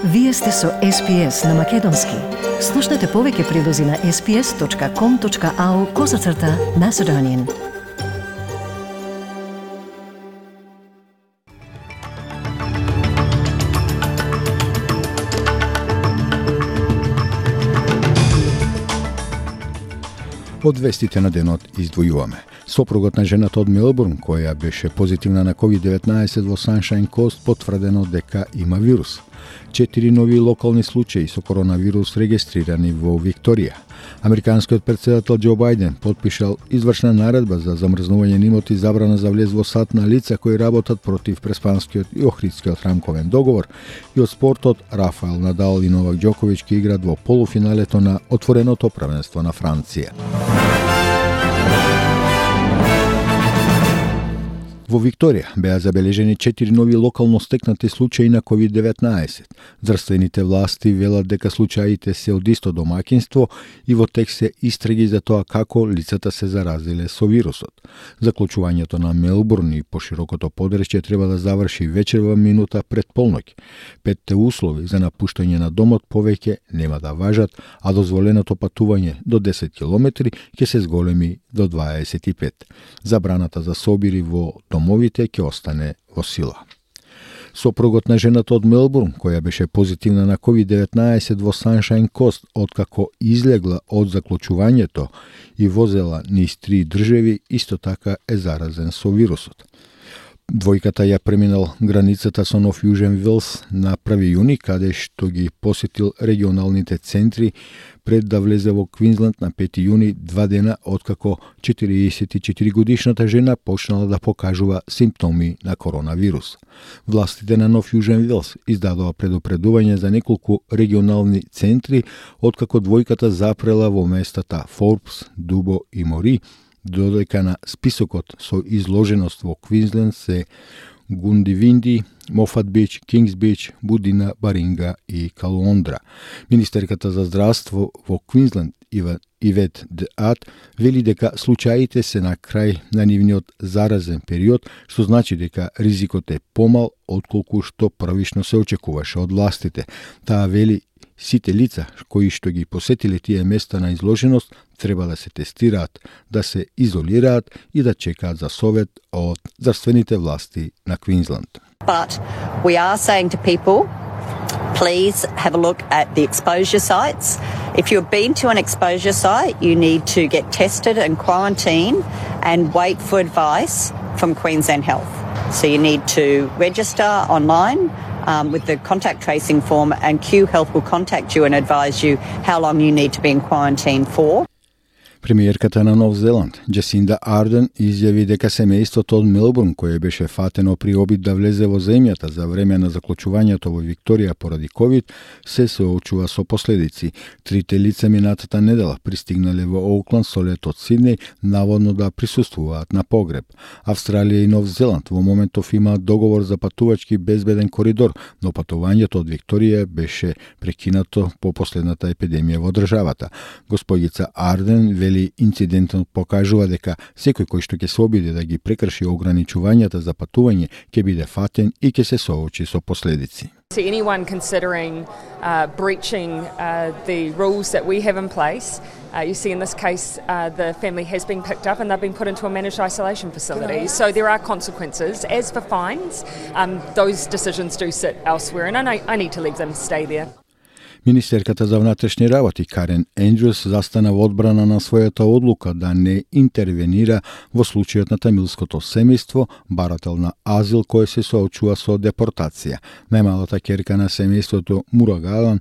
Вие сте со SPS на Македонски. Слушнете повеќе прилози на sps.com.au/Macedonian. Од вестите на денот издвојуваме. Сопругот на жената од Мелбурн, која беше позитивна на COVID-19 во Sunshine Coast, потврдено дека има вирус. 4 нови локални случаи со коронавирус регистрирани во Викторија. Американскиот претседател Џо Бајден потпишал извршна наредба за замрзнување на имоти, забрана за влез во САД на лица кои работат против Преспанскиот и Охридскиот рамковен договор, и од спортот Рафаел Надал и Новак Џоковиќ ќе играат во полуфиналето на отвореното првенство на Франција. Во Викторија беа забележени 4 нови локално стекнати случаи на COVID-19. Здравствените власти велат дека случаите се од исто домаќинство и во тек се истраги за тоа како лицата се заразиле со вирусот. Заклучувањето на Мелбурн и поширокото подречје треба да заврши вечерва минута пред полноќ. 5 услови за напуштање на домот повеќе нема да важат, а дозволеното патување до 10 километри ќе се зголеми до 25. Забраната за собири во домовите ќе остане во сила. Сопругот на жената од Мелбурн, која беше позитивна на COVID-19 во Sunshine Coast, откако излегла од заклучувањето и возела низ 3 држави, исто така е заразен со вирусот. Двојката ја преминал границата со Нов Јужен Велс на 1 јуни, каде што ги посетил регионалните центри пред да влезе во Квинсленд на 5 јуни, 2 дена откако 44 годишната жена почнала да покажува симптоми на коронавирус. Властите на Нов Јужен Велс издадоа предупредување за неколку регионални центри откако двојката запрела во местата Форбс, Дубо и Мори, додека на списокот со изложеност во Квинсленд се Гундивинди, Мофат Бич, Кингс Бич, Будина, Баринга и Калуондра. Министерката за здравство во Квинсленд Ивет Деат вели дека случаите се на крај на нивниот заразен период, што значи дека ризикот е помал отколку што првично се очекуваше од властите. Таа вели сите лица кои што ги посетиле тие места на изложеност треба да се тестираат, да се изолираат и да чекаат за совет од здравствените власти на Квинсленд. But we are saying to people, please have a look at the exposure sites. If you've been to an exposure site, you need to get tested and quarantine and wait for advice from Queensland Health. So you need to register online with the contact tracing form, and Q Health will contact you and advise you how long you need to be in quarantine for. Премиерката на Нов Зеланд, Джасинда Арден, изјави дека семејството од Мелбурн, кое беше фатено при обид да влезе во земјата за време на заклучувањето во Викторија поради COVID, се соочува со последици. 3 лица минатата недела пристигнале во Оукланд со лет од Сиднеј, наводно да присуствуваат на погреб. Австралија и Нов Зеланд во моментов имаат договор за патувачки безбеден коридор, но патувањето од Викторија беше прекинато по последната епидемија во државата. Господица Арден вели инцидентот покажува дека секој кој што ќе се обиде да ги прекрши ограничувањата за патување ќе биде фатен и ќе се соочи со последици. To anyone considering breaching the rules that we have in place, you see in this case the family has been picked up and they've been put into a managed isolation facility. So there are consequences. As for fines, those decisions do sit elsewhere, and I need to leave them stay there. Министерката за внатрешни работи Карен Ендрюс застана во одбрана на својата одлука да не интервенира во случајот на тамилското семејство, барател на азил кој се соочува со депортација. Најмалата ќерка на семејството Мурагалан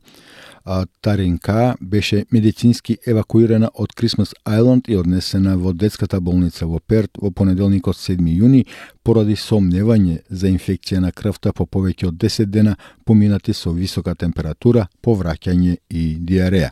Таринка беше медицински евакуирана од Крисмас Ајланд и однесена во детската болница во Перт во понеделникот 7 јуни поради сомневање за инфекција на крвта по повеќе од 10 дена поминати со висока температура, повраќање и диареја.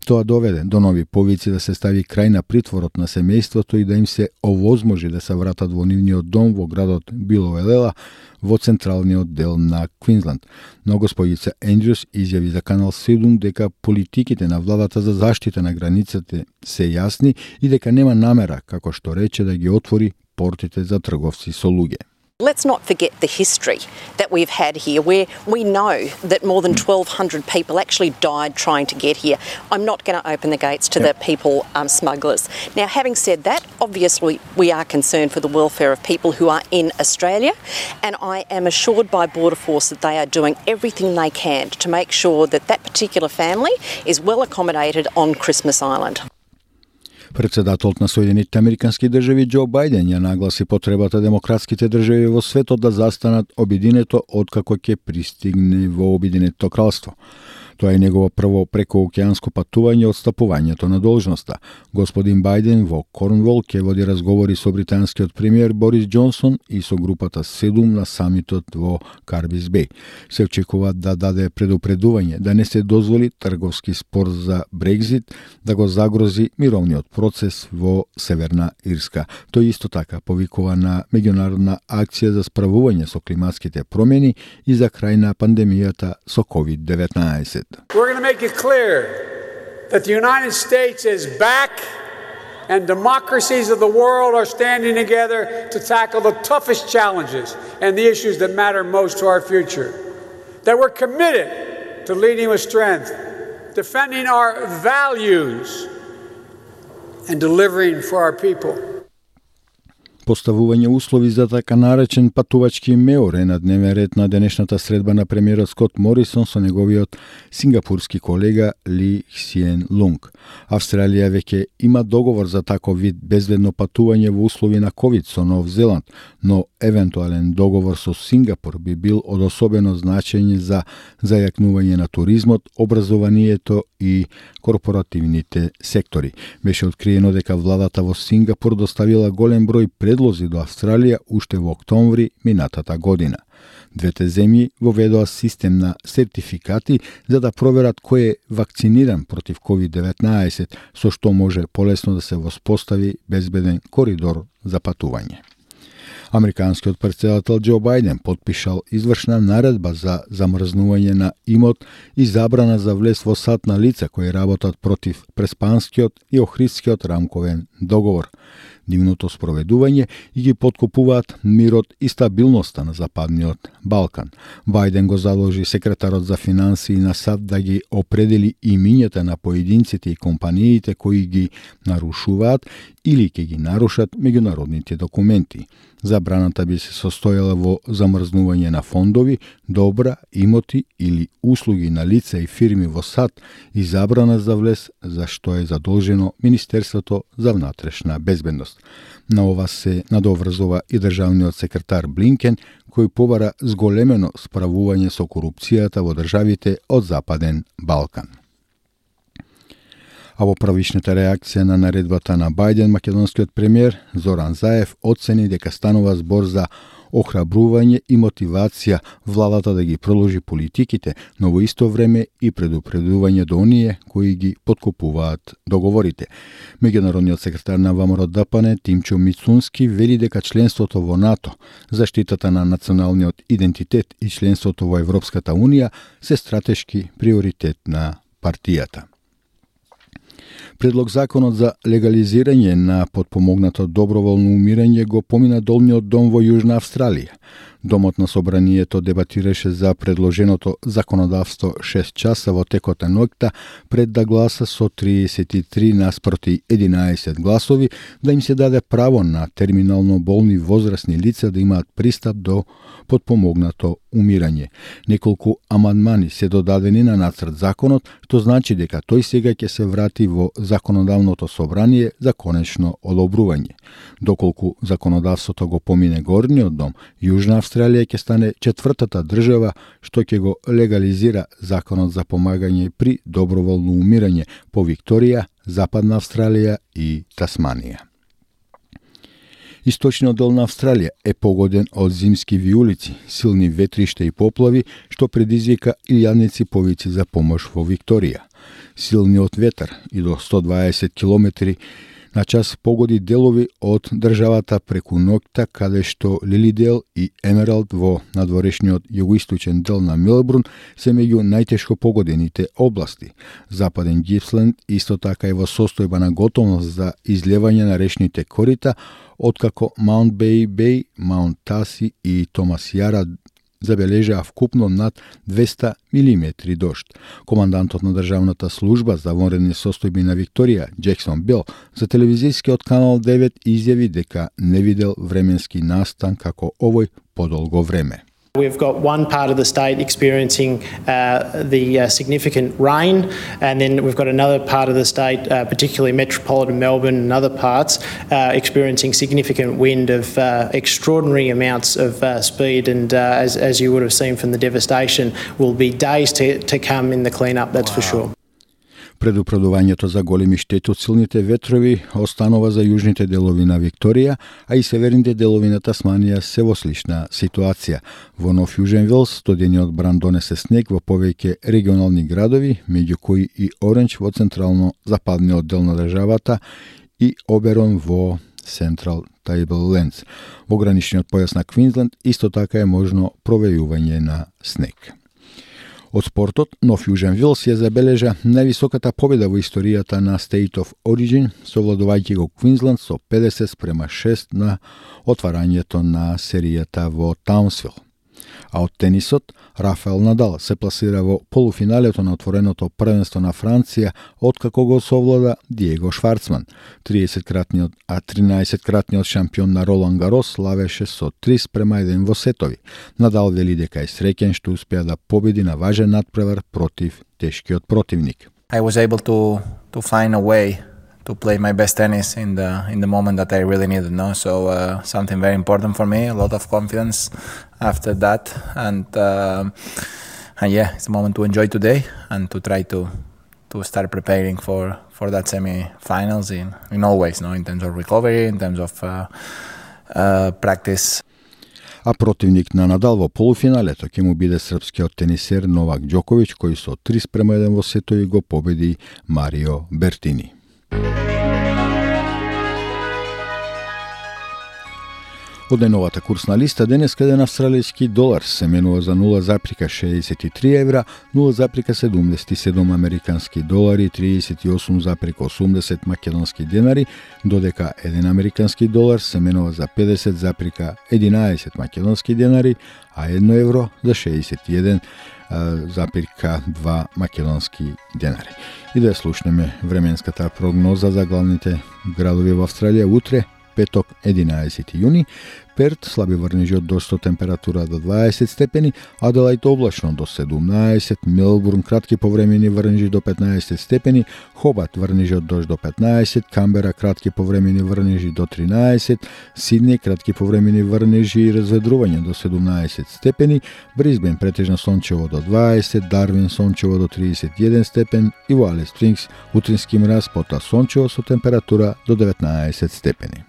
Тоа доведе до нови повици да се стави крај на притворот на семејството и да им се овозможи да се вратат во нивниот дом во градот Билоелела во централниот дел на Квинсленд. Но господица Ендрюс изјави за Канал 7 дека политиките на владата за заштита на границите се јасни и дека нема намера, како што рече, да ги отвори портите за трговци со луѓе. Let's not forget the history that we've had here, where we know that more than 1,200 people actually died trying to get here. I'm not going to open the gates to the people smugglers. Now, having said that, obviously we are concerned for the welfare of people who are in Australia, and I am assured by Border Force that they are doing everything they can to make sure that that particular family is well accommodated on Christmas Island. Председателот на Соединетите Американски држави Џо Бајден ја нагласи потребата демократските држави во светот да застанат обединето откако ќе пристигне во Обединетото кралство. Тоа е негово прво прекоокеанско патување од стапувањето на должноста. Господин Бајден во Корнвол ќе води разговори со британскиот премиер Борис Џонсон и со групата 7 на самитот во Карбис Беј. Се очекува да даде предупредување да не се дозволи трговски спор за Брекзит да го загрози мировниот процес во Северна Ирска. Тој исто така повикува на меѓународна акција за справување со климатските промени и за крај на пандемијата со COVID-19. We're going to make it clear that the United States is back and democracies of the world are standing together to tackle the toughest challenges and the issues that matter most to our future. That we're committed to leading with strength, defending our values, and delivering for our people. Поставување услови за така наречен патувачки меор е на дневен ред на денешната средба на премиерот Скот Морисон со неговиот сингапурски колега Ли Хсиен Лунг. Австралија веќе има договор за таков вид безбедно патување во услови на ковид со Нов Зеланд, но евентуален договор со Сингапур би бил од особено значење за зајакнување на туризмот, образованието и корпоративните сектори. Беше откриено дека владата во Сингапур доставила голем број предлози до Австралија уште во октомври минатата година. Двете земји воведоа систем на сертификати за да проверат кој е вакциниран против COVID-19, со што може полесно да се воспостави безбеден коридор за патување. Американскиот председател Џо Бајден потпишал извршна наредба за замрзнување на имот и забрана за влез во САД на лица кои работат против Преспанскиот и Охридскиот рамковен договор. Нивното спроведување и ги подкупуваат мирот и стабилноста на Западниот Балкан. Бајден го заложи секретарот за финансии на САД да ги определи имињата на поединците и компаниите кои ги нарушуваат или ќе ги нарушат меѓународните документи. Забраната би се состојала во замрзнување на фондови, добра, имоти или услуги на лица и фирми во САД и забрана за влез за што е задолжено Министерството за внатрешна безбедност. На ова се надоврзува и државниот секретар Блинкен, кој побара зголемено справување со корупцијата во државите од Западен Балкан. А во правишната реакција на наредбата на Бајден, македонскиот премиер Зоран Заев оцени дека станува збор за охрабрување и мотивација владата да ги продолжи политиките, но во исто време и предупредување до оние кои ги подкупуваат договорите. Меѓународниот секретар на ВМРО ДПН Тимчо Мицунски вели дека членството во НАТО, заштитата на националниот идентитет и членството во Европската Унија се стратешки приоритет на партијата. Предлог законот за легализирање на подпомогнато доброволно умирање го помина долниот дом во Јужна Австралија. Домот на собранието дебатираше за предложеното законодавство 6 часа во текот на ноќта пред да гласа со 33 наспроти 11 гласови да им се даде право на терминално болни возрастни лица да имаат пристап до подпомогнато умирање. Неколку амандмани се додадени на нацрт законот, што значи дека тој сега ќе се врати во законодавното собрание за конечно одобрување. Доколку законодавството го помине горниот дом, Јужна Австралија ќе стане четвртата држава што ќе го легализира законот за помагање при доброволно умирање по Викторија, Западна Австралија и Тасманија. Источниот дел на Австралија е погоден од зимски виулици, силни ветришта и поплави, што предизвика илјадници повици за помош во Викторија. Силниот ветар и до 120 км На час погоди делови од државата преку ноќта, каде што Лилидейл и Емералд во надворешниот југоисточен дел на Мелбурн се меѓу најтешко погодените области. Западен Гипсленд исто така е во состојба на готовност за излевање на речните корита, откако Маунт Бей, Маунт Таси и Томас Јара забележаа вкупно над 200 милиметри дожд. Командантот на државната служба за вонредни состојби на Викторија, Джексон Бил, за телевизискиот канал 9 изјави дека не видел временски настан како овој подолго време. We've got one part of the state experiencing the significant rain, and then we've got another part of the state, particularly metropolitan Melbourne and other parts, experiencing significant wind of extraordinary amounts of speed, and as you would have seen from the devastation, will be days to come in the clean-up, that's for sure. Предупредувањето за големи штети од силните ветрови останува за јужните делови на Викторија, а и северните делови на Тасманија се во слична ситуација. Во Нов Јужен Велс студениот бран донесе снег во повеќе регионални градови, меѓу кои и Оранџ во централно-западниот дел на државата и Оберон во Централ Табллендс. Во граничниот појас на Квинсленд исто така е можно провејување на снег. Од спортот, Нов Јужен Велс ја забележа највисоката победа во историјата на State of Origin, совладувајќи го Квинсленд со 50-6 на отварањето на серијата во Таунсвил. А од тенисот, Рафаел Надал се пласира во полуфиналето на отвореното првенство на Франција, откако го совлада Диего Шварцман. 13-кратниот шампион на Ролан Гарос славеше со 3-1 во сетови. Надал вели дека е среќен што успеа да победи на важен надпревар против тешкиот противник. I was able to find a way to play my best tennis in the moment that I really needed, no? So something very important for me, a lot of confidence after that, and yeah, it's a moment to enjoy today and to try to start preparing for that semi-finals in all ways, no? In terms of recovery, in terms of practice. А противник на Надал во полуфиналето ќе му биде српскиот тенисер Новак Џоковиќ, кој со 3-1 во сетови го победи Марио Бертини. Од најновата курсна листа, денес еден австралијски долар се менува за 0,63 евра, 0,77 американски долари, 38,80 македонски денари, додека еден американски долар се менува за 50,11 македонски денари, а 1 евро за 61,2 македонски денари. И да слушнеме временската прогноза за главните градови во Австралија утре, петок 11 јуни, Перт слаби врнежи од дожд со температура до 20 степени, Аделајд облачно до 17, Мелбурн кратки повремени врнежи до 15 степени, Хобарт врнежи од дожд до 15, Камбера кратки повремени врнежи до 13, Сиднеј кратки повремени врнежи и разведрување до 17 степени, Брисбен претежно сончево до 20, Дарвин сончево до 31 степен и во Алис Спрингс утрински мраз, потоа сончево со температура до 19 степени.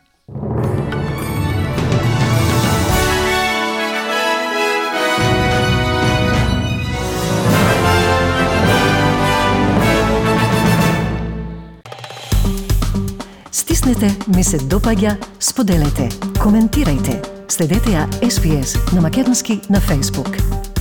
Стиснете, ми се допаѓа, споделете, коментирајте. Следете ја SPS на Македонски на Facebook.